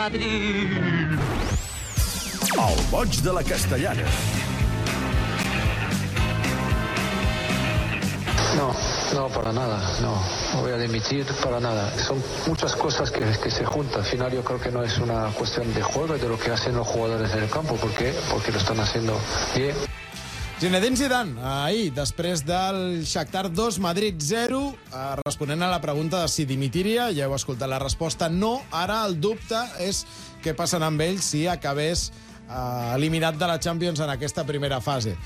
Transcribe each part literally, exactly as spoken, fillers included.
Madrid. El boig de la Castellana. No, no, para nada, no, no voy a dimitir para nada. Son muchas cosas que, que se juntan. Al final yo creo que no es una cuestión de juego, es de lo que hacen los jugadores en el campo. ¿Por qué? Porque lo están haciendo bien. Zinedine Zidane, ahir, després del Shakhtar dos, Madrid zero, eh, responent a la pregunta de si dimitiria, ja heu escoltat la resposta, no. Ara el dubte és què passarà amb ell si acabés eh, eliminat de la Champions en aquesta primera fase.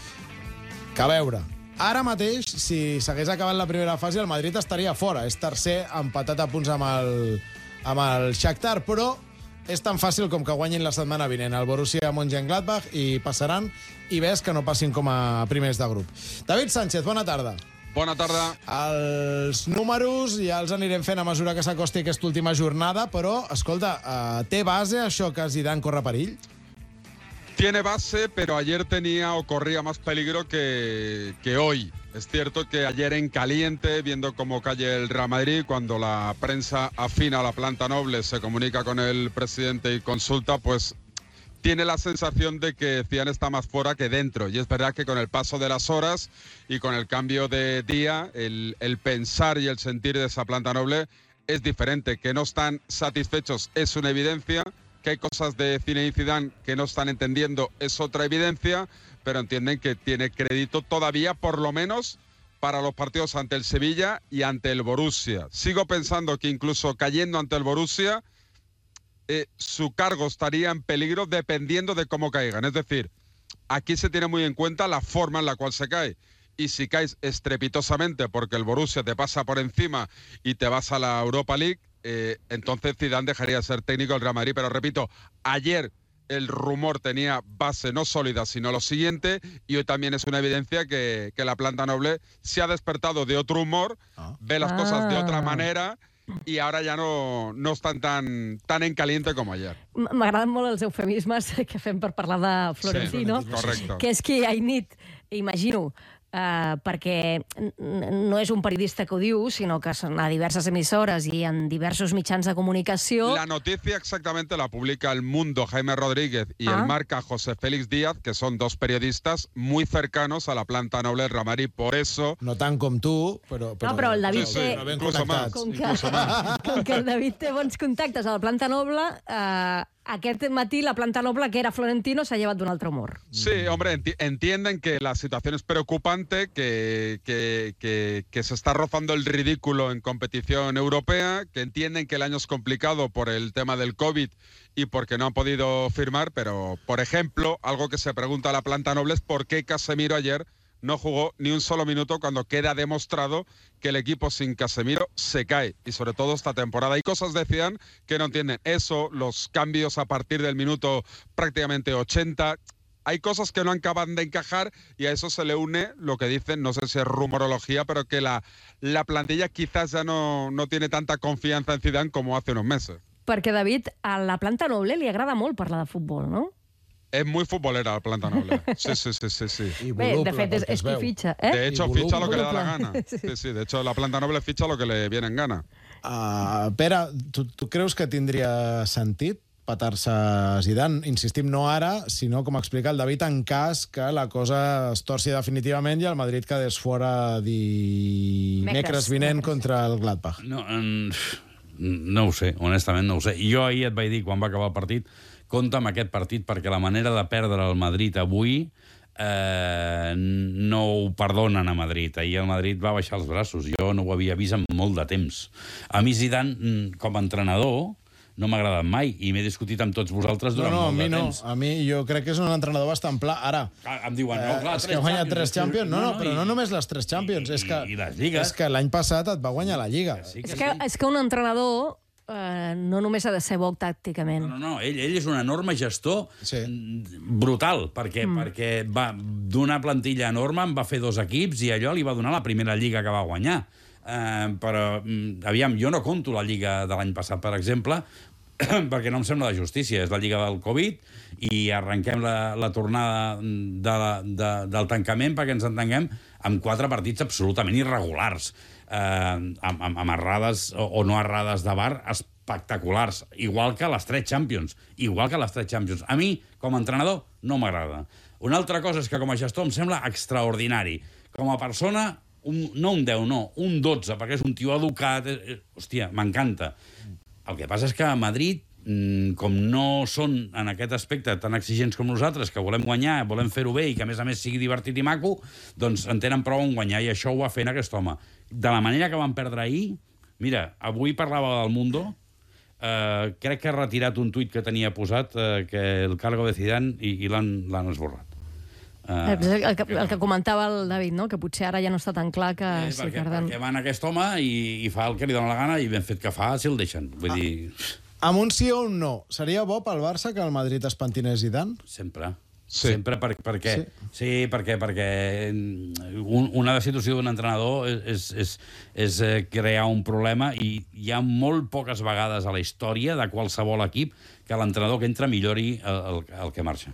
Que a veure, ara mateix, si s'hagués acabat la primera fase, el Madrid estaria fora. És tercer, empatat a punts amb el, amb el Shakhtar, però és tan fàcil com que guanyin la setmana vinent el Borussia Mönchengladbach i passaran, i ves que no passin com a primers de grup. David Sánchez, bona tarda. Bona tarda. Els números ja els anirem fent a mesura que s'acosti aquesta última jornada, però, escolta, uh, té base això que Zidane corre perill? Tiene base, pero ayer tenía o corría más peligro que, que hoy. Es cierto que ayer en caliente, viendo cómo cae el Real Madrid, cuando la prensa afina a la planta noble, se comunica con el presidente y consulta, pues tiene la sensación de que Zidane está más fuera que dentro. Y es verdad que con el paso de las horas y con el cambio de día, el, el pensar y el sentir de esa planta noble es diferente. Que no están satisfechos es una evidencia. Que hay cosas de Zinedine Zidane que no están entendiendo es otra evidencia, pero entienden que tiene crédito todavía, por lo menos, para los partidos ante el Sevilla y ante el Borussia. Sigo pensando que incluso cayendo ante el Borussia, eh, su cargo estaría en peligro dependiendo de cómo caigan. Es decir, aquí se tiene muy en cuenta la forma en la cual se cae. Y si caes estrepitosamente porque el Borussia te pasa por encima y te vas a la Europa League, Eh, entonces Zidane dejaría de ser técnico del Real Madrid. Pero repito, ayer el rumor tenía base no sólida, sino lo siguiente, y hoy también es una evidencia que, que la planta noble se ha despertado de otro humor, ah. ve las ah. cosas de otra manera, i ara ja no, no estan tan, tan en caliente com ayer. M'agraden molt els eufemismes que fem per parlar de Florentino, sí, que és que hi nit, imagino, Uh, perquè no és un periodista que ho diu, sinó que són a diverses emissores i en diversos mitjans de comunicació. La noticia exactamente la publica El Mundo, Jaime Rodríguez, y ah. el marca José Félix Díaz, que son dos periodistas muy cercanos a la planta noble del Real Madrid. Por eso... No tant com tu, però... però... No, però el David sí, té... Sí, no incluso más, com que, incluso más. Com que el David té bons contactes a la planta noble... Uh, Aquest matí la planta noble, que era Florentino, s'ha llevat d'un altre humor. Sí, hombre, enti entienden que la situación es preocupante, que, que, que, que se está rozando el ridículo en competición europea, que entienden que el año es complicado por el tema del COVID y porque no han podido firmar, pero, por ejemplo, algo que se pregunta a la planta noble es por qué Casemiro ayer no jugó ni un solo minuto cuando queda demostrado que el equipo sin Casemiro se cae, y sobre todo esta temporada. Hay cosas, decían, que no entienden. Eso, los cambios a partir del minuto prácticamente ochenta, hay cosas que no acaban de encajar, y a eso se le une lo que dicen, no sé si es rumorología, pero que la, la plantilla quizás ya no, no tiene tanta confianza en Zidane como hace unos meses. Perquè, David, a la planta noble li agrada molt parlar de futbol, no? Es muy futbolera la planta noble. Sí, sí, sí, sí, sí. Bé, de fet, és, és qui fitxa, eh? De hecho, ficha lo que le da la gana. Sí, sí, de hecho, la planta noble ficha lo que le viene en gana. Uh, Pere, tu, tu creus que tindria sentit petar-se Zidane? Insistim, no ara, sinó, com explica el David, en cas que la cosa es torci definitivament i el Madrid quedés fora dimecres vinent contra el Gladbach. No, no ho sé, honestament no ho sé. Jo ahir et vaig dir, quan va acabar el partit, compta amb aquest partit, perquè la manera de perdre el Madrid avui eh, no ho perdonen a Madrid. Ahir el Madrid va baixar els braços. Jo no ho havia vist en molt de temps. A mi Zidane, com a entrenador, no m'ha agradat mai, i m'he discutit amb tots vosaltres durant no, no, molt de no. temps. A mi jo crec que és un entrenador bastant pla. Ara, ah, em diuen, no, clar, eh, és que ha guanyat tres Champions. No, no, però no només les tres Champions. I, és que, i les lligues. És que l'any passat et va guanyar la Lliga. Sí que és, que, sí. és que un entrenador Uh, no només ha de ser bo tàcticament. No, no, no. Ell, ell és un enorme gestor, sí, brutal, perquè, mm. perquè va d'una plantilla enorme, en va fer dos equips i allò li va donar la primera lliga que va guanyar. Uh, però, aviam, jo no conto la lliga de l'any passat, per exemple, perquè no em sembla de justícia. És la lliga del Covid i arrenquem la, la tornada de la, de, del tancament, perquè ens entenguem, amb quatre partits absolutament irregulars. Eh, amb, amb, amb errades o, o no errades de V A R espectaculars, igual que les tres Champions, igual que les tres Champions. A mi, com a entrenador, no m'agrada. Una altra cosa és que com a gestor em sembla extraordinari. Com a persona, un, no un deu, no, un dotze, perquè és un tio educat. Eh, hòstia, m'encanta. El que passa és que a Madrid, com no són en aquest aspecte tan exigents com nosaltres, que volem guanyar, volem fer-ho bé i que a més a més sigui divertit i maco, doncs en tenen prou en guanyar i això ho va fent aquest home. De la manera que van perdre ahir, mira, avui parlava del Mundo, eh, crec que ha retirat un tuit que tenia posat, eh, que el cargo de Zidane, i, i l'han esborrat. Uh, el, que, el que comentava el David, no? Que potser ara ja no està tan clar que... Eh, sí, perquè, que arden... perquè van aquest home i, i fa el que li dona la gana i ben fet que fa, si el deixen. Vull ah. dir... Amb un sí o un no, seria bo pel Barça que el Madrid es pentinés Zidane? Sempre. Sí. Sempre per, perquè... Sí, sí perquè, perquè un, una destitució d'un entrenador és, és, és crear un problema i hi ha molt poques vegades a la història de qualsevol equip que l'entrenador que entra millori el, el, el que marxa.